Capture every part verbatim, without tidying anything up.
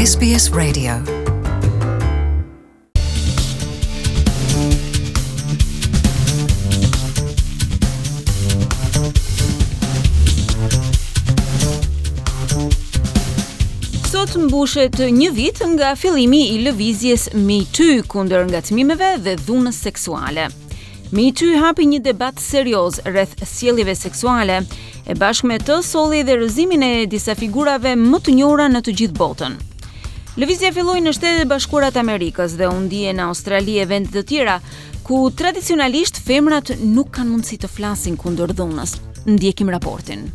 S B S Radio. Sot mbushet një vit nga fillimi i lëvizjes Me Too kundër ngacmimeve dhe dhunës seksuale. Me Too hapi një debat serioz rreth sjelljeve seksuale, e bashkë me të solli edhe rrëzimin e disa figurave më të njohura në të gjithë botën. Lëvizja filloi në Shtetet e Bashkuara të Amerikës dhe u ndje në Australi e vende të tjera, ku tradicionalisht femrat nuk kanë mundësi të flasin kundër dhunës. Ndjekim raportin.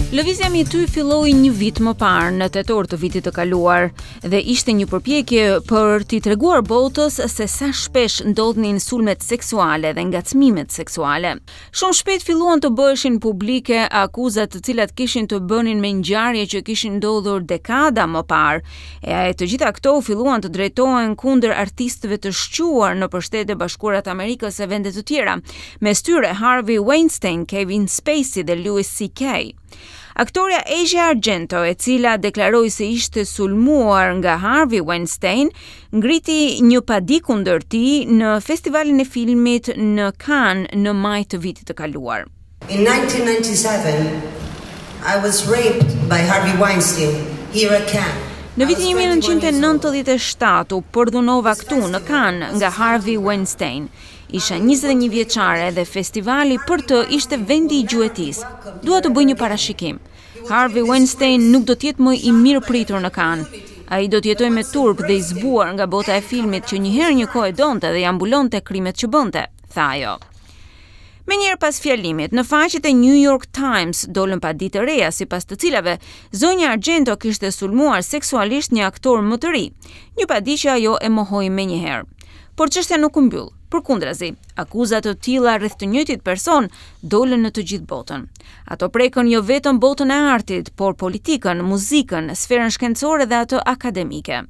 Lëvizja Me Too filloi një vit më parë, në tetor të vitit të kaluar, dhe ishte një përpjekje për t'i treguar botës se sa shpesh ndodhnin sulmet seksuale dhe ngacmimet seksuale. Shumë shpejt filluan të bëheshin publike akuzat, të cilat kishin të bënin me ngjarje që kishin ndodhur dekada më parë. E të gjitha këto filluan të drejtohen kundër artistëve të shquar në Shtetet e Bashkuara të Amerikës e vende të tjera, mes tyre Harvey Weinstein, Kevin Spacey dhe Louis C K. Aktoria Asia Argento, e cila deklaroi se ishte sulmuar nga Harvey Weinstein, ngriti një padi kundër tij në festivalin e filmit në Cannes në maj të vitit të kaluar. In nineteen ninety-seven, I was raped by Harvey Weinstein here at Cannes. Në vitin një mijë e nëntëqind e nëntëdhjetë e shtatë u përdhunova këtu në Cannes nga Harvey Weinstein. Isha njëzet e një vjeçare dhe festivali për të ishte vendi i gjuetisë. Dua të bëj një parashikim. Harvey Weinstein nuk do të jetë më i mirë pritur në Cannes. Ai do të jetojë me turp dhe i zbuar nga bota e filmit që një herë një kohë e donte dhe ja mbulonte krimet që bënte, tha ajo. Menjëherë pas fjalimit, në faqet e New York Times dolën padi të reja, sipas të cilave zonja Argento kishte sulmuar seksualisht një aktor më të ri, një padi që ajo e mohoi menjëherë. Por çështja nuk u mbyll. Përkundrazi, akuza të tilla rreth të njëjtit person dolën në të gjithë botën. Ato prekën jo vetëm botën e artit, por politikën, muzikën, sferën shkencore dhe atë akademike.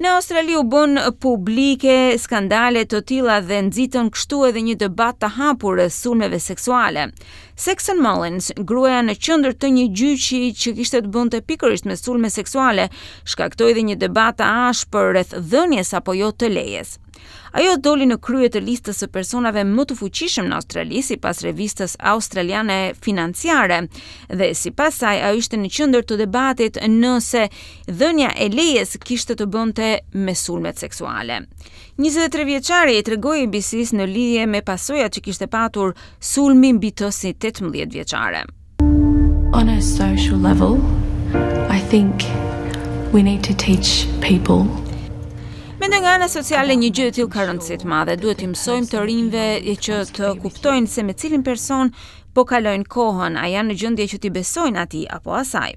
Në Australi u bën publike skandale të tilla dhe nxitën kështu edhe një debat të hapur rreth sulmeve seksuale. Saxon Mullins, gruaja në qendër të një gjyqi që kishte të bënte pikërisht me sulme seksuale, shkaktoi edhe një debat të ashpër rreth dhënies apo jo të lejes. Ajo doli në krye të listës së personave më të fuqishëm në Australi, sipas revistës australiane financiare, dhe sipas saj ajo ishte në qendër të debatit nëse dhënia e lejes kishte të bënte me sulmet seksuale. njëzet e tre vjeçari i tregoi A B C-s në lidhje me pasojat që kishte patur sulmi mbi të si tetëmbëdhjetë vjeçare. On a social level, I think we need to teach people Mendoj nga ana sociale një gjë e tillë ka rëndësi të madhe. Duhet t'i mësojmë të rinjve që të kuptojnë se me cilin person po kalojnë kohën, a janë në gjendje që t'i besojnë atij apo asaj.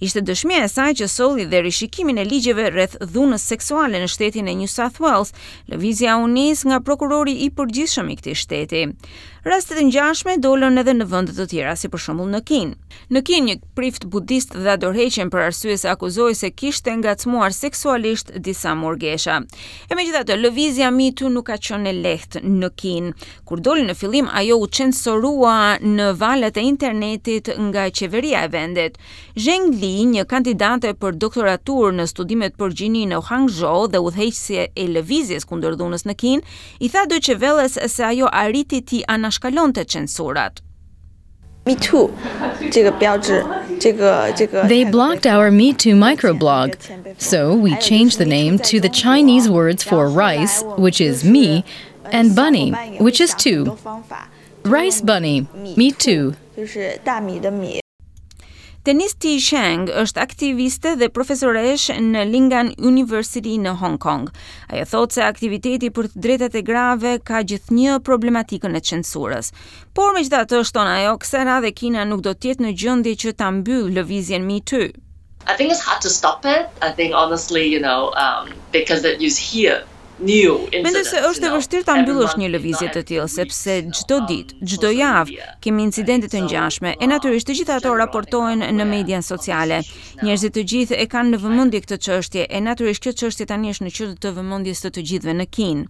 Ishte dëshmia e saj që solli dhe rishikimin e ligjeve rreth dhunës seksuale në shtetin e New South Wales. Lëvizja u nis nga prokurori i përgjithshëm i këtij shteti. Raste të ngjashme dolën edhe në vende të tjera, si për shembull në Kinë. Në Kinë, një prift budist dha dorëheqjen për arsye se akuzoi se kishte ngacmuar seksualisht disa murgesha. E megjithatë, lëvizja Me Too nuk ka qenë e lehtë në Kinë. Kur doli në fillim, ajo u censurua në valët e internetit nga qeveria e vendit. Zheng Li, një kandidate për doktoraturë në studimet për gjini në Hangzhou dhe udhëheqëse e lëvizjes kundër dhunës në Kinë, i tha Deutsche Welles se ajo arriti t'i anashkalonte censurat. Me Too 这个标志，这个这个 They blocked our Me Too microblog, so we changed the name to the Chinese words for rice, which is me, and bunny, which is two. Rice bunny, me too. 就是大米的米。 Denise T. Cheng është aktiviste dhe profesoresh në Lingnan University në Hong Kong. Ajo thotë se aktiviteti për të drejtat e grave ka gjithnjë problematikën e censurës. Por megjithatë, shton ajo, kësaj radhe Kina nuk do të jetë në gjendje që ta mbyllë lëvizjen Me Too. I think it's hard to stop it. I think honestly, you know, um, because that you hear new Mendoj se është e vështirë ta mbyllësh një lëvizje të tillë, sepse çdo ditë, çdo javë kemi incidente të ngjashme, e natyrisht të gjitha ato raportohen në median sociale. Njerëzit të gjithë e kanë në vëmendje këtë çështje, e natyrisht kjo çështje tani është në qendër të vëmendjes të të gjithëve në Kinë.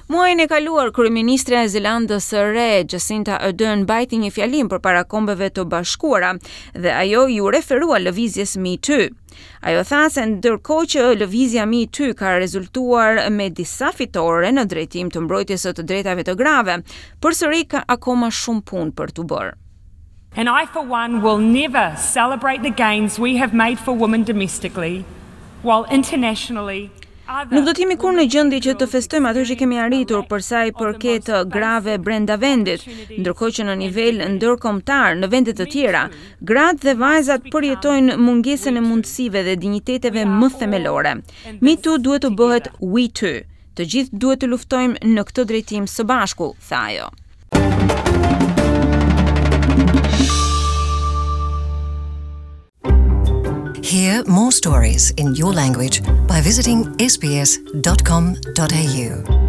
Muajin e kaluar, kryeministrja e Zelandës së Re, Jacinda Ardern, mbajti një fjalim përpara Kombeve të Bashkuara dhe ajo iu referua lëvizjes Me Too. Ajo tha se ndërkohë që lëvizja Me Too ka rezultuar me disa fitore në drejtim të mbrojtjes së të drejtave të grave, përsëri ka akoma shumë punë për të bërë. And I, for one, will never celebrate the gains we have made for women domestically, while internationally Nuk do të jemi kurrë në gjendje që të festojmë ato që kemi arritur për sa i përket grave brenda vendit, ndërkohë që në nivel ndërkombëtar në vende të tjera, gratë dhe vajzat përjetojnë mungesën e mundësive dhe dinjiteteve më themelore. Me Too duhet të bëhet We Too. Të gjithë duhet të luftojmë në këtë drejtim së bashku, tha ajo. Hear more stories in your language by visiting S B S dot com dot A U.